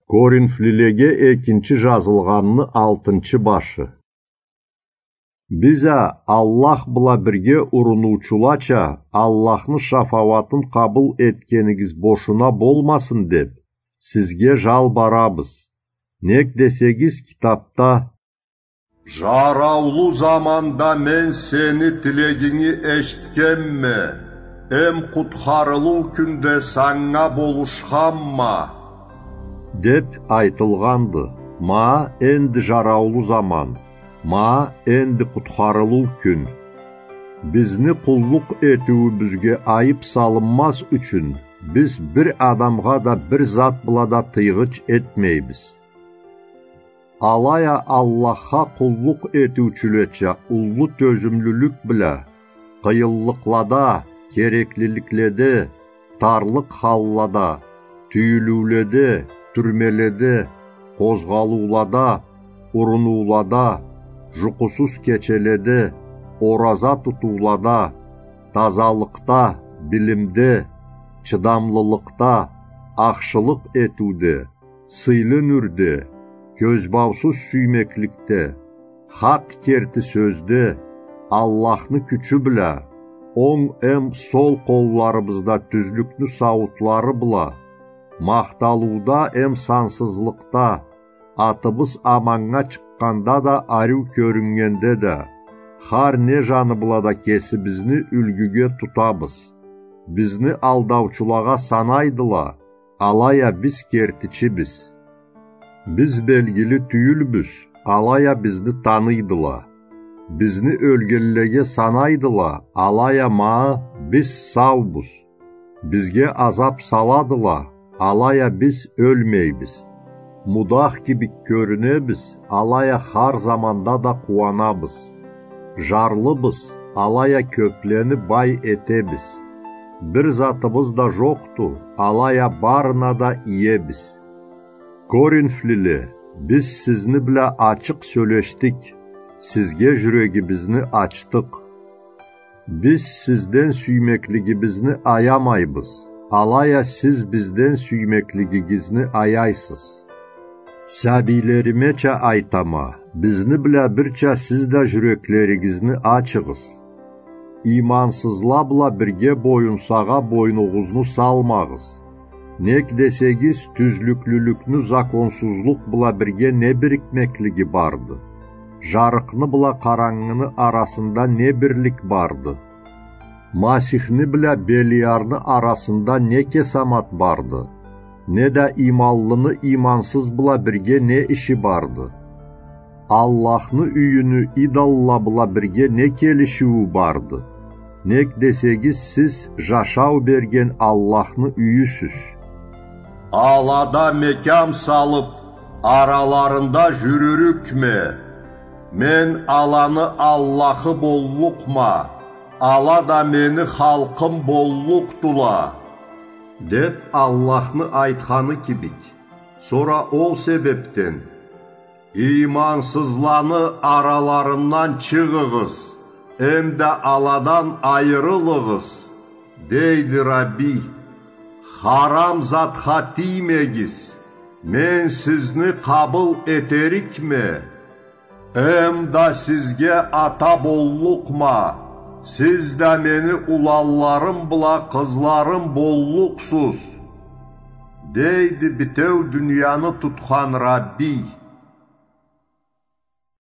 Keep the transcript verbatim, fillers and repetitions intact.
Коринфлилеге экинчи жазылгъанны алтынчы башы. Биз а Аллах бла бирге урунулчулача Аллахны шафауатын къабыл этгенигиз бошуна болмасын деп, сизге жалбарабыз. Нек десегиз, китапда: «Жараулу заманда мен сени тилегинги эшитгенме, эм къутхарылыу кюнде санга болушханма», — деп айтылгъанды. Ма энди жараулу заман, ма энди къутхарылыу кюн. Бизни къуллукъ этиуюбюзге айып салынмаз ючюн, биз бир адамгъа да, бир зат бла да тыйгъыч этмейбиз. Алай а Аллахха къуллукъ этиучюлеча уллу тёзюмлюлюк бла, къыйынлыкълада, кереклиликледе, тарлыкъ халлада, тюйюлюуледе, тюрмеледе, къозгъалыулада, урунулада, жукъусуз кечеледе, ораза тутуулада, тазалыкъда, билимде, чыдамлылыкъда, ахшылыкъ этиуде, сыйлы нюрде, кёзбаусуз сюймекликде, хакъ керти сёзде, Аллахны кючю бла, онг эм сол къолларыбызда тюзлюкню сауутлары бла, махталыуда эм сансызлыкъда, атыбыз аманнга чыкъгъанда да, ариу кёрюннгенде да, хар не жаны бла да кесибизни юлгюге тутабыз. Бизни алдаучулагъа санайдыла, алай а биз кертичибиз. Биз белгили тюйюлбюз, алай а бизни таныйдыла. Бизни ёлгенлеге санайдыла, алай а ма биз саубуз. Бизге азап саладыла, алай а биз ёлмейбиз. Мудах кибик кёрюнебиз, алай а хар заманда да къууанабыз. Жарлыбыз, алай а кёплени бай этебиз. Бир затыбыз да жокъду, алай а барына да иебиз. Коринфлиле, биз сизни бла ачыкъ сёлешдик, сизге жюрегибизни ачдыкъ. Биз сизден сюймеклигибизни аямайбыз, алай а сиз бизден сюймеклигигизни аяйсыз. Сабийлеримеча айтама, бизни бла бирча сиз да жюреклеригизни ачыгъыз. Иймансызла бла бирге боюнсагъа бойнугъузну салмагъыз. Нек десегиз, тюзлюклюлюкню законсузлукъ бла бирге не бирикмеклиги барды? Жарыкъны бла къарангыны арасында не бирлик барды? Масихни бла Белиарны арасында не кесамат барды? Не да ийманлыны иймансыз бла бирге не иши барды? Аллахны юйюню идолла бла бирге не келишиую барды? Нек десегиз, сиз жашау берген Аллахны юйюсюз. Алада мекям салып, араларында жюрюрюкме? Мен аланы Аллахы боллукъма, ала да мени халкъым боллукъдула, — деп Аллахны айтханы кибик. Сора ол себепден: «Иймансызланы араларындан чыгъыгъыз, эм да аладан айырылыгъыз, — дейди Рабби. — Харам затха тиймегиз, мен сизни къабыл этерикме. Эм да сизге ата боллукъма, сиз да мени уланларым бла къызларым боллукъсуз, — дейди битеу дунияны тутхан Рабби.